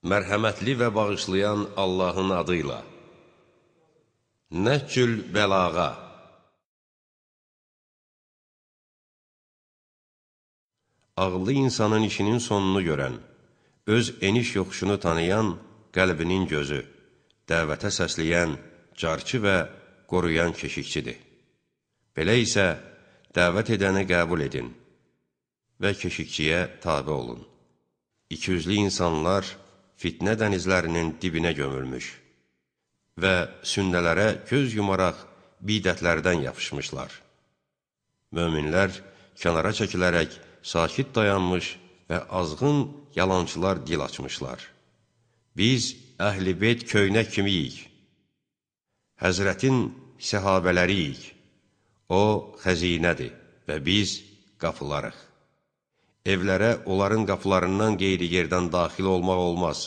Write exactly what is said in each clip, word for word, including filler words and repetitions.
Mərhəmətli və bağışlayan Allahın adıyla. Nəhcül bəlağa. Ağıllı insanın işinin sonunu görən, öz eniş yoxuşunu tanıyan qəlbinin gözü, dəvətə səsləyən, carçı və qoruyan keşikçidir. Belə isə dəvət edəni qəbul edin və keşikçiyə tabe olun. İkiyüzlü insanlar fitnə dənizlərinin dibinə gömülmüş və sünnələrə göz yumaraq bidətlərdən yapışmışlar. Möminlər kənara çəkilərək sakit dayanmış və azğın yalançılar dil açmışlar. Biz əhl-i beyt köynək kimiyik, Həzrətin səhabələriyik, o xəzinədir və biz qapılarıq. Evlərə onların qapılarından qeyri yerdən daxil olmaq olmaz.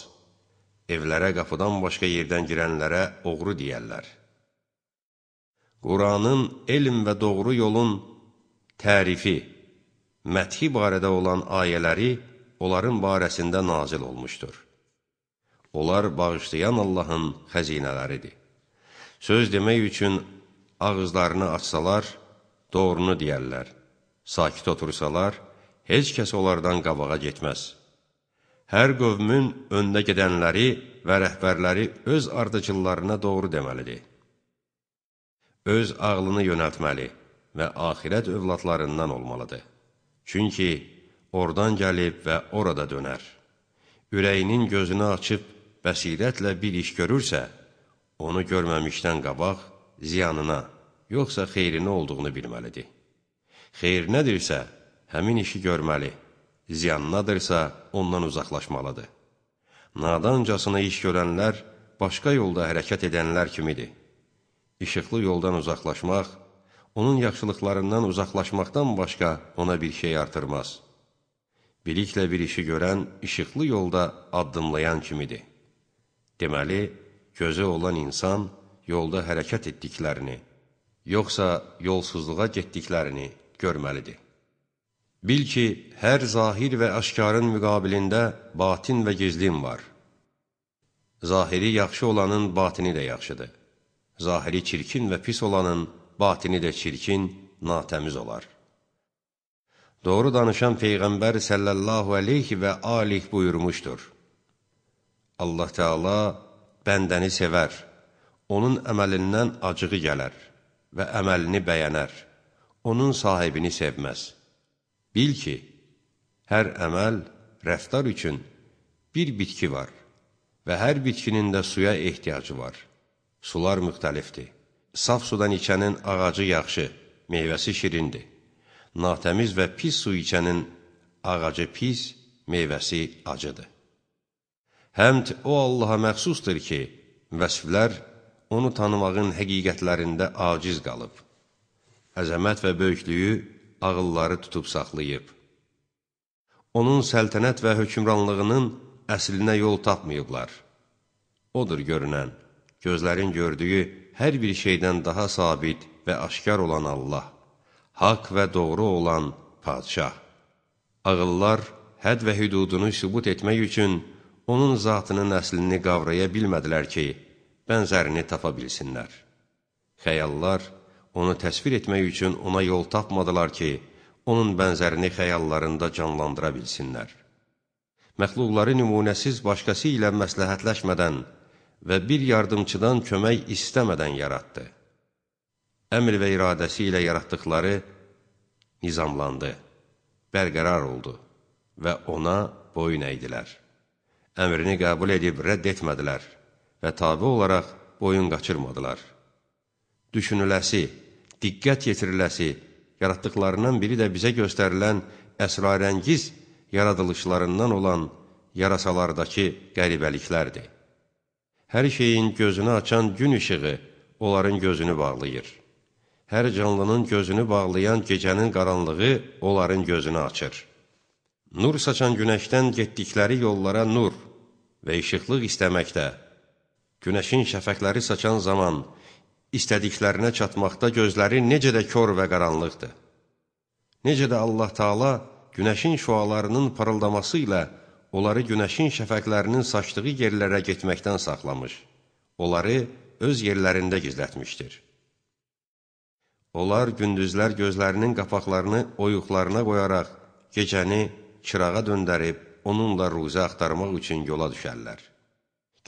Evlərə qapıdan başqa yerdən girənlərə oğru deyərlər. Quranın elm və doğru yolun tərifi, məthi barədə olan ayələri onların barəsində nazil olmuşdur. Onlar bağışlayan Allahın xəzinələridir. Söz demək üçün ağızlarını açsalar, doğrunu deyərlər. Sakit otursalar, heç kəs onlardan qabağa getməz. Hər qövmün öndə gedənləri və rəhbərləri öz ardıcıllarına doğru deməlidir. Öz ağlını yönəltməli və axirət övladlarından olmalıdır. Çünki oradan gəlib və orada dönər. Ürəyinin gözünü açıb bəsirətlə bir iş görürsə, onu görməmişdən qabaq ziyanına, yoxsa xeyrinə olduğunu bilməlidir. Xeyr nədirsə, həmin işi görməli, ziyanınadırsa ondan uzaqlaşmalıdır. Nadancasına iş görənlər başqa yolda hərəkət edənlər kimidir. İşıqlı yoldan uzaqlaşmaq, onun yaxşılıqlarından uzaqlaşmaqdan başqa ona bir şey artırmaz. Biliklə bir işi görən işıqlı yolda addımlayan kimidir. Deməli, gözü olan insan yolda hərəkət etdiklərini, yoxsa yolsuzluğa getdiklərini görməlidir. Bil ki, hər zahir və aşkarın müqabilində batin və gizlin var. Zahiri yaxşı olanın batini də yaxşıdır. Zahiri çirkin və pis olanın batini də çirkin, natəmiz olar. Doğru danışan Peyğəmbər sallallahu aleyhi və alih buyurmuşdur. Allah Teala bəndəni sevər, onun əməlindən acığı gələr və əməlini bəyənər, onun sahibini sevməz. Bil ki, hər əməl, rəftar üçün bir bitki var və hər bitkinin də suya ehtiyacı var. Sular müxtəlifdir. Saf sudan içənin ağacı yaxşı, meyvəsi şirindir. Natəmiz və pis su içənin ağacı pis, meyvəsi acıdır. Həmd o Allaha məxsusdur ki, vəsflər onu tanımağın həqiqətlərində aciz qalıb. Əzəmət və böyüklüyü ağılları tutub saxlayıb. Onun səltənət və hökmranlığının əslinə yol tapmayıblar. Odur görünən, gözlərin gördüyü hər bir şeydən daha sabit və aşkar olan Allah, haqq və doğru olan padşah. Ağıllar hədd və hüdudunu sübut etmək üçün onun zatının əslini qavraya bilmədilər ki, bənzərini tapa bilsinlər. Xəyallar onu təsvir etmək üçün ona yol tapmadılar ki, onun bənzərini xəyallarında canlandıra bilsinlər. Məxluqları nümunəsiz başqası ilə məsləhətləşmədən və bir yardımçıdan kömək istəmədən yaratdı. Əmr və iradəsi ilə yaratdıqları nizamlandı, bərqərar oldu və ona boyun əydilər. Əmrini qəbul edib rədd etmədilər və tabi olaraq boyun qaçırmadılar. Düşünüləsi, diqqət yetiriləsi, yaratdıqlarından biri də bizə göstərilən əsrarəngiz yaradılışlarından olan yarasalardakı qəribəliklərdir. Hər şeyin gözünü açan gün işığı onların gözünü bağlayır. Hər canlının gözünü bağlayan gecənin qaranlığı onların gözünü açır. Nur saçan günəşdən getdikləri yollara nur və işıqlıq istəməkdə, günəşin şəfəqləri saçan zaman istədiklərinə çatmaqda gözləri necə də kör və qaranlıqdır. Necə də Allah Teala günəşin şüalarının parıldaması ilə onları günəşin şəfəqlərinin saçdığı yerlərə getməkdən saxlamış, onları öz yerlərində gizlətmişdir. Onlar gündüzlər gözlərinin qapaqlarını oyuqlarına qoyaraq, gecəni çırağa döndərib, onunla ruzi axtarmaq üçün yola düşərlər.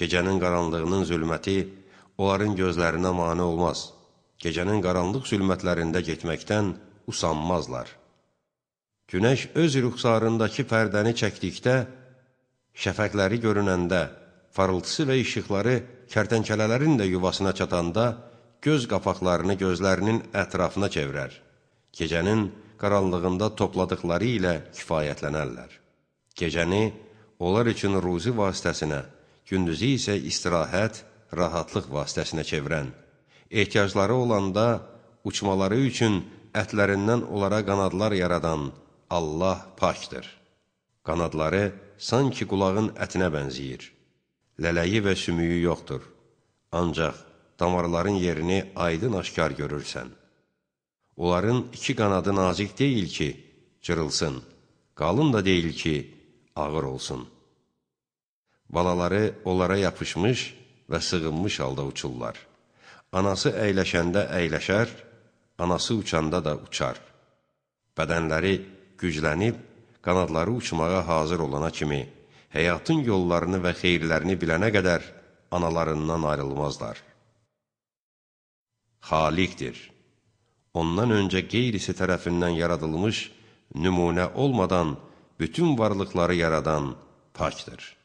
Gecənin qaranlığının zülməti onların gözlərinə mane olmaz. Gecənin qaranlıq zülmətlərində getməkdən usanmazlar. Günəş öz rüxsarındakı pərdəni çəkdikdə, şəfəqləri görünəndə, parıltısı və işıqları kərtənkələlərin də yuvasına çatanda, göz qapaqlarını gözlərinin ətrafına çevirər. Gecənin qaranlığında topladıqları ilə kifayətlənərlər. Gecəni onlar üçün ruzi vasitəsinə, gündüzü isə istirahət, rahatlıq vasitəsinə çevirən, ehtiyacları olanda uçmaları üçün ətlərindən onlara qanadlar yaradan Allah pakdır. Qanadları sanki qulağın ətinə bənziyir. Lələyi və sümüyü yoxdur. Ancaq damarların yerini aydın aşkar görürsən. Onların iki qanadı nazik deyil ki, cırılsın, qalın da deyil ki, ağır olsun. Balaları onlara yapışmış və sığınmış halda uçurlar. Anası əyləşəndə əyləşər, anası uçanda da uçar. Bədənləri güclənib, qanadları uçmağa hazır olana kimi, həyatın yollarını və xeyirlərini bilənə qədər analarından ayrılmazlar. Xaliqdir. Ondan öncə qeyrisi tərəfindən yaradılmış, nümunə olmadan bütün varlıqları yaradan pakdır.